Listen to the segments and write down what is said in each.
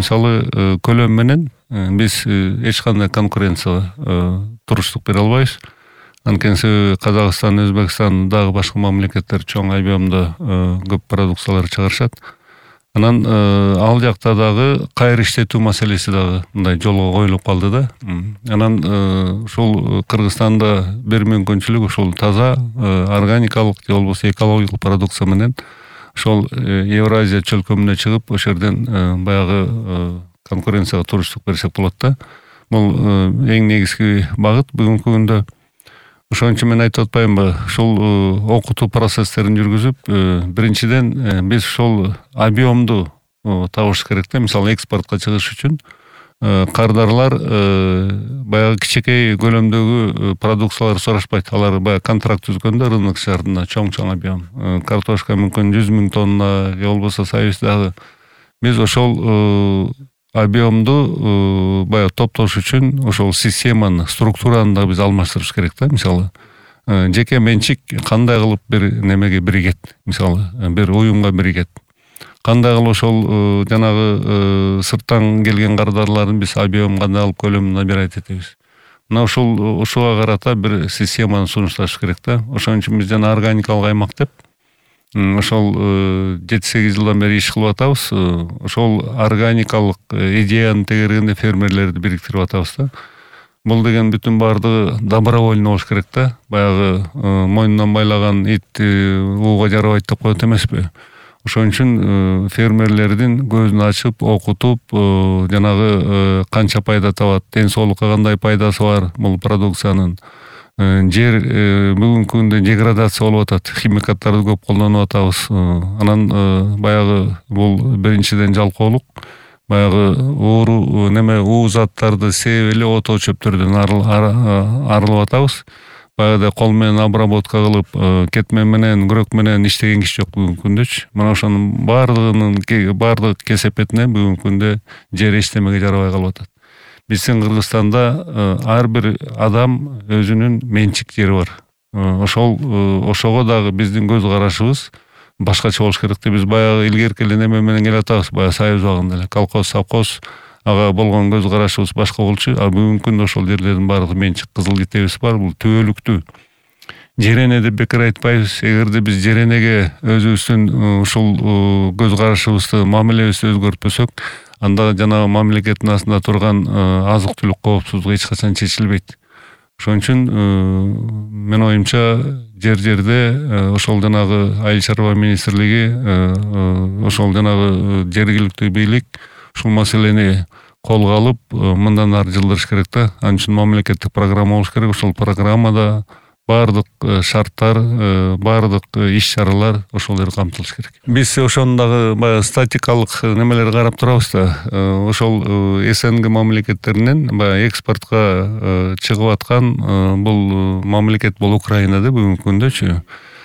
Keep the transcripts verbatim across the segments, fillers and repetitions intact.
мисалы көлөм менен биз эч кандай конкуренцияга туруштук бере албайбыз. Анткени себеби Казакстан, Өзбекстан дагы башка мамлекеттер чоң объемдо көп продукциялар чыгарышат. Анан ал жакта дагы кайыр иштетүү маселеси дагы мындай жолго коюлуп калды да. Анан ушул Кыргызстанда бир мүмкүнчүлүк ушул таза органикалык же болбосо экологиялык продукция менен ошол Евразия чөлкөмүнө чыгып, ошол жерден баягы конкуренцияга туруштук берсек болот да. Бул эң негизги багыт бүгүнкү күндө. Ошон үчүн мен айтып атпаймынбы, ушул окутуу процесстерин жүргүзүп, биринчиден биз ушул объемду табыш керек да. Мисалы экспортко чыгыш үчүн кардарлар баягы кичинекей көлөмдөгү продукциялар сурашпайт. Алар баягы контракт түзгөндө рынок шартында чоң-чоң объем. Картошка мүмкүн жүз миң тонна, же болбосо союздагы. Биз ошол объемду баягы топтош үчүн ошол системаны, структураны да биз алмаштырыш керек да. Мисалы, жеке менчик кандай кылып бир немеге биригет, мисалы, бир уюмга биригет. Кандай кылып ошол жанагы сырттан келген кардарларын биз объем кандай алып көлөмүн набирать этебиз. Мына ушул ушуга карата бир системаны сунушташ керек да. Ошон үчүн биз жана органикалык аймак деп ошол жети сегиз жылдан бери иш кылып атабыз. Ошол органикалык идеянын тегерегинде фермерлерди бириктирип атабыз да. Бул деген бүтүн бардыгы добровольно болуш керек да. Баягы мойнунан байлаган ит ууга жарабайт деп коет эмеспи. Ошон үчүн фермерлердин көзүн ачып, окутуп, жанагы канча пайда табат, ден соолукка кандай пайдасы бар бул продукциянын. Жер бүгүнкү күндө деградация болуп атат, химикаттарды көп колдонуп атабыз. Анан баягы бул биринчиден жалкоолук, баягы ууру неме уу заттарды сээп эле отоо чөптөрдөн арылып атабыз. Баягы кол менен обработка кылып, кетмен менен, күрөк менен иштеген киши жок бүгүнкү күндөчү. Мына ошонун бардыгынын бардык кесепетине бүгүнкү күндө жер эчтемеге жарабай калып атат. Биздин Кыргызстанда ар бир адам өзүнүн менчик жери бар. Ошол ошого дагы биздин көз карашыбыз башкача болуш керек деп биз баягы илгерки эле неме менен келе атабыз, баягы союз убагында эле колхоз, совхоз ага болгон көз карашыбыз башка болчу. А бүгүнкү күндө ошол жерлердин баардыгы менчик, кызыл китебиз бар, бул түбөлүктүү. Жерене деп бекер айтпайбыз. Эгерде биз жеренеге өзүбүздүн ушул көз карашыбызды, мамилебизди өзгөртпөсөк, анда жанагы мамлекеттин астында турган азык-түлүк коопсуздугу эч качан чечилбейт. Ошон үчүн мен оюмча жер-жерде ошол жанагы айыл чарба министрлиги, ошол жанагы жергиликтүү бийлик ушул маселени колго алып, мындан ары жылдырыш керек да. Анын үчүн мамлекеттик программа болуш керек. Ошол программада бардык шарттар, бардык иш-чаралар ошол жерде камтылыш керек. Биз ошону дагы баягы статикалык немелер карап турабыз да. Ошол СНГ мамлекеттеринен баягы экспортко чыгып аткан бул мамлекет бул Украина да бүгүнкү күндөчү.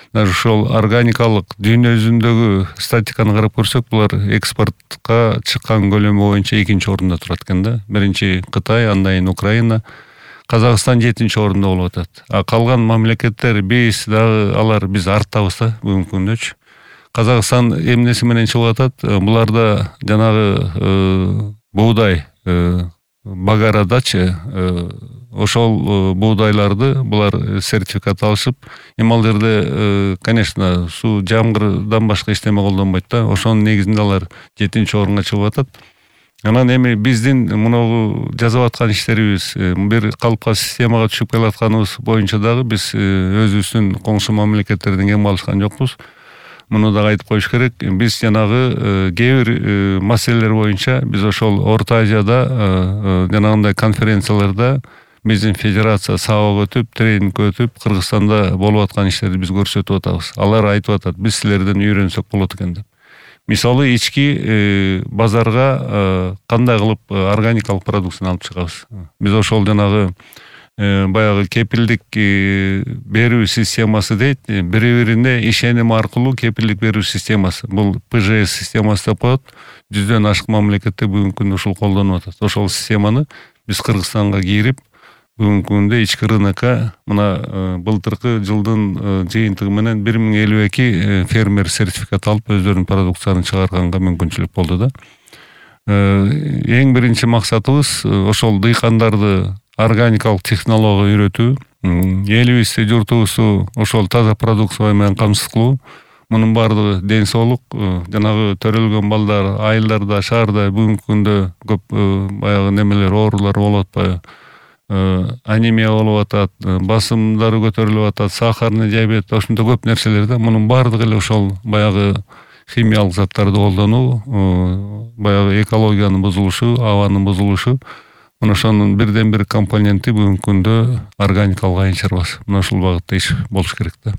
Даже ошол органикалык дүйнө жүзүндөгү статиканы карап көрсөк, булар экспортко чыккан көлөмү боюнча экинчи орунда турат экен да. Биринчи Кытай, андан кийин Украина. Казакстан жетинчи орунда болуп атат. А калган мамлекеттер биз дагы алар биз арттабыз да бүгүнкү күндөчү. Казакстан эмнеси менен чыгып атат? Буларда жанагы буудай багарадачы ошол буудайларды булар сертификат алышып, эми ал жерде, конечно, суу жамгырдан башка эчтеме колдонбойт да. Ошонун негизинде алар жетинчи орунга чыгып атат. Анан эми биздин мунагу жасап аткан иштерибиз, бир калыпка системага түшүп келатканыбыз боюнча дагы биз өзүбүздүн коңшу мамлекеттерден кем калышкан жокпуз. Муну дагы айтып коюш керек. Биз жанагы кээ бир маселелер боюнча биз ошол Орто Азияда жанагындай конференцияларда биздин федерация сабак өтүп, тренинг өтүп, Кыргызстанда болуп аткан иштерди биз көрсөтүп атабыз. Алар айтып атат, биз силерден үйрөнсөк болот экен деп. Мисалы, ички базарга кандай кылып органикалык продукцияны алып чыгабыз. Биз ошол жанагы баягы кепилдик берүү системасы дейт, бири-бирине ишеним аркылуу кепилдик берүү системасы. Бул П Ж С системасы деп коет. Жүздөн ашык мамлекетте бүгүнкү күндө ушул колдонуп атат. Ошол системаны биз Кыргызстанга кирип, бүгүнкү күндө ички рынокко мына былтыркы жылдын жыйынтыгы менен бир миң элүү эки фермер сертификат алып өздөрүнүн продукцияларын чыгарганга мүмкүнчүлүк болду да. эң биринчи максатыбыз ошол дыйкандарды органикалык технологияга үйрөтүү, элибизди, журтубузду ошол таза продукция менен камсыз кылуу. Мунун баардыгы ден соолук, жанагы төрөлгөн балдар айылдарда, шаарда бүгүнкү күндө көп баягы немелер, оорулар болуп атпайбы? Анемия болуп атат, басымдары көтөрүлүп атат, сахарный диабет, ошондой көп нерселер да. Мунун баардыгы эле ошол баягы химиялык заттарды колдонуу, баягы экологиянын бузулушу, абанын бузулушу. Мына ошонун бирден бир компоненти бүгүнкү күндө органикалык айыл чарбасы. Мына ушул багытта иш болуш керек да.